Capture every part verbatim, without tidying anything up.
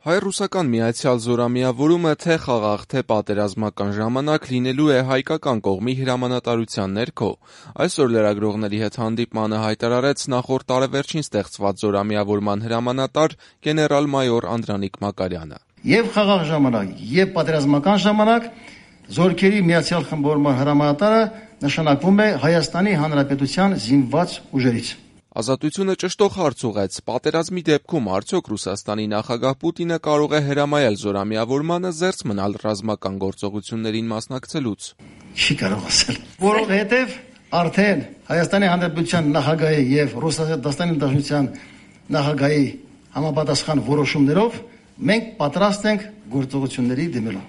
Հայ-ռուսական միացյալ զորամիավորումը թե խաղաղ, թե պատերազմական ժամանակ լինելու է հայկական կողմի հրամանատարության ներքո։ Այսօր լրագրողների հետ հանդիպմանը հայտարարեց նախորդ տարեվերջին ստեղծված զորամիավորման հրամանատար գեներալ-մայոր Անդրանիկ Մակարյանը։ Եվ խաղաղ ժամանակ, եւ պատերազմական ժամանակ զորքերի միացյալ խմբավորման հրամանատարը նշանակվում է Հայաստանի Հանրապետության զինված ուժերից։ Ազատությունը ճշտող հարց ուղեց. պատերազմի դեպքում արդյոք Ռուսաստանի նախագահ Պուտինը կարող է հրամայել զորամիավորմանը զերծ մնալ ռազմական գործողություններին մասնակցելուց։ Չի կարող ասել, որովհետև արդեն Հայաստանի Հանրապետության նախագահի եւ Ռուսաստանի Դաշնության նախագահի համապատասխան որոշումներով մենք պատրաստ ենք գործողությունների դիմելու։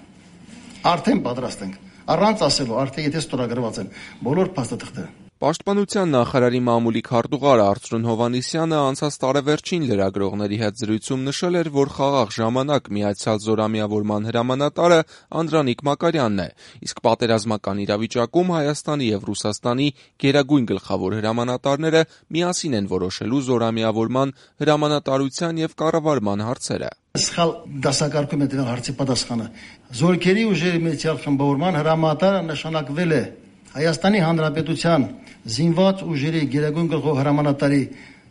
Արդեն պատրաստ ենք, առանց ասելու, արդեն եթե ստորագրված են բոլոր փաստաթղթերը։ Պաշտպանության նախարարի մամուլի քարտուղար Արծրուն Հովհաննիսյանը անցած տարեվերջին լրագրողների հետ զրույցում նշել էր, որ խաղաղ ժամանակ միացյալ զորամիավորման հրամանատարը Անդրանիկ Մակարյանն է, իսկ պատերազմական իրավիճակում Հայաստանի եւ Ռուսաստանի գերագույն գլխավոր հրամանատարները միասին են որոշելու զորամիավորման հրամանատարության եւ կառավարման հարցերը։ Սխալ դասակարգում է դրա հարցի պատասխանը։ Զորքերի ուժերի միացյալ խմբավորման հրամանատարը նշանակվել է Հայաստանի Հանրապետության զինված ուժերի գերագույն գլխավոր հրամանատարի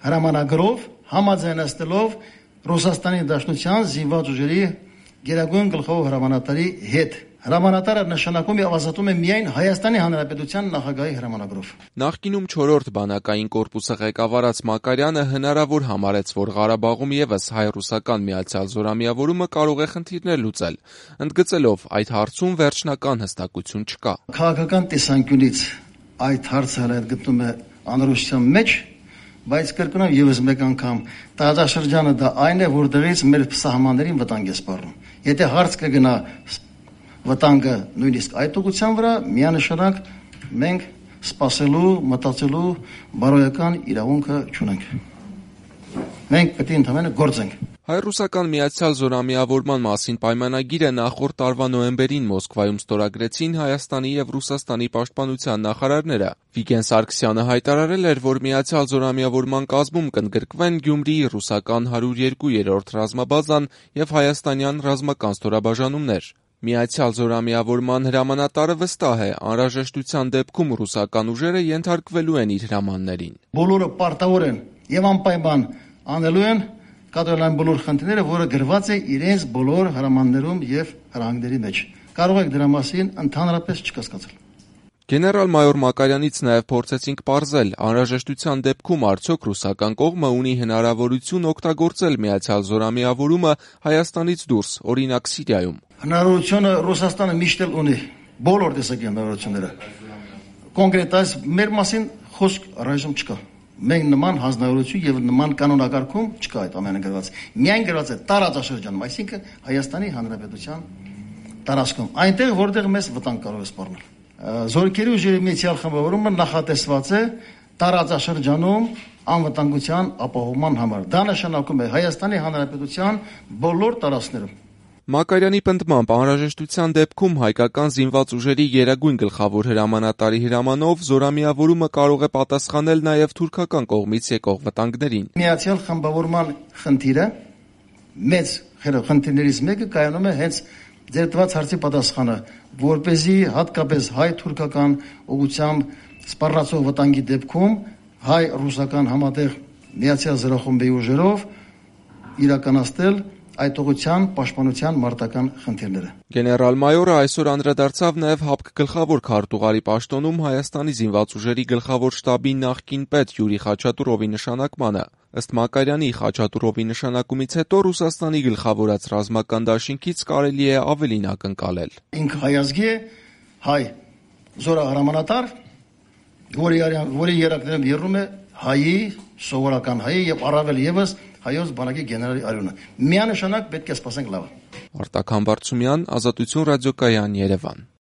հրամանագրով համաձայնեցնելով Ռուսաստանի Դաշնության զինված ուժերի գերագույն գլխավոր հրամանատարի հետ։ Հրամանատարը նշանակում է ազատում է միայն Հայաստանի Հանրապետության նախագահի հրամանագրով։ Նախկինում չորրորդ բանակային կորպուսը ղեկավարած Մակարյանը հնարավոր համարեց, որ Ղարաբաղում եւս հայ-ռուսական միացյալ զորամիավորումը կարող է խնդիրներ լուծել, ընդգծելով այդ հարցում վերջնական հստակություն չկա։ Քաղաքական տեսանկյունից այդ հարցը հենց գտնում է անորոշության մեջ, բայց կրկնեմ եւս մեկ անգամ տարածաշրջանը դա այն է, որտեղից մեր սահմաններին վտանգ է սպառնում։ Եթե հարց կգնա վտանգը նույնիսկ այդ ուղղության վրա, միանշանակ մենք սպասելու, մտածելու բարոյական իրավունքը չունենք։ Մենք պետք է ընդհանրապես գործենք։ Հայ-ռուսական միացյալ զորամիավորման մասին պայմանագիրը նախորդ տարվա նոյեմբերին Մոսկվայում ստորագրեցին Հայաստանի եւ Ռուսաստանի պաշտպանության նախարարները։ Վիգեն Սարգսյանը հայտարարել էր, որ միացյալ զորամիավորման կազմում կընդգրկվեն Գյումրիի ռուսական հարյուր երկու ռազմաբազան եւ հայաստանյան ռազմական ստորաբաժանումներ։ Միացյալ զորամիավորման հրամանատարը վստահ է, անհրաժեշտության դեպքում ռուսական ուժերը ենթարկվելու են իր հրամաններին։ Բոլորը պարտավոր են եւ անպայման անելու են կատարել բոլոր խնդիրները, որը գրված է իրենց բոլոր հրամաններում եւ հրահանգների մեջ։ Կարող եք դրա մասին ընդհանրապես չկասկածել։ Գեներալ-մայոր Մակարյանից նաև փորձեցինք պարզել, անհրաժեշտության դեպքում արդյոք ռուսական կողմը ունի հնարավորություն օգտագործել միացյալ զորամիավորումը Հայաստանից դուրս, օրինակ Սիրիայում։ Հնարավորությունը Ռուսաստանը միշտ էլ ունի, բոլոր տեսակի հնարավորությունները։ Կոնկրետ այս մեր մասին խոսք առայժմ չկա։ Մենք նման հանձնարարություն եւ նման կանոնակարգում չկա այդ ամենը գրված։ Միայն գրված է տարածաշրջանում, այսինքն Հայաստանի Հանրապետության տարածքում, այնտեղ որտեղ մեզ վտանգ կարող է սպառնել։ Զորքերի ուժերի միացյալ խմբավորումը նախատեսված է տարածաշրջանում անվտանգության ապահովման համար։ Դա նշանակում է Հայաստանի Հանրապետության բոլոր տարածքներում։ Մակարյանի պնդմամբ անհրաժեշտության դեպքում հայկական զինված ուժերի գերագույն գլխավոր հրամանատարի հրամանով զորամիավորումը կարող է պատասխանել նաև թուրքական կողմից եկող վտանգներին։ Միացյալ խմբավորման խնդիրը մեծ խնդիրներից մեկը կայանում է հենց ձերտված հարցի պատասխանը, որպեսզի հատկապես հայ-թուրքական ուղղությամբ սպառնացող վտանգի դեպքում հայ-ռուսական համատեղ միացյալ զորախմբի ուժերով իրականացնել այդ ուղղության պաշտպանության մարտական խնդիրները։ Գեներալ-մայորը այսօր անդրադարձավ նաև ՀԱՊԿ գլխավոր քարտուղարի պաշտոնում Հայաստանի զինված ուժերի գլխավոր շտաբի նախկին պետ Յուրի Խաչատուրովի նշանակմանը։ Ըստ Մակարյանի, Խաչատուրովի նշանակումից հետո Ռուսաստանի գլխավորած ռազմական դաշինքից կարելի է ավելին ակնկալել։ Ինքը հայազգի է, հայ զորահրամանատար, որի որի երակներում եռում է հայի, սովորական հայի եւ առավել եւս հայոց բանակի գեներալի արյունը։ Միանշանակ պետք է սպասենք լավը։ Արտակ Համբարձումյան, Ազատություն ռադիոկայան, Երևան։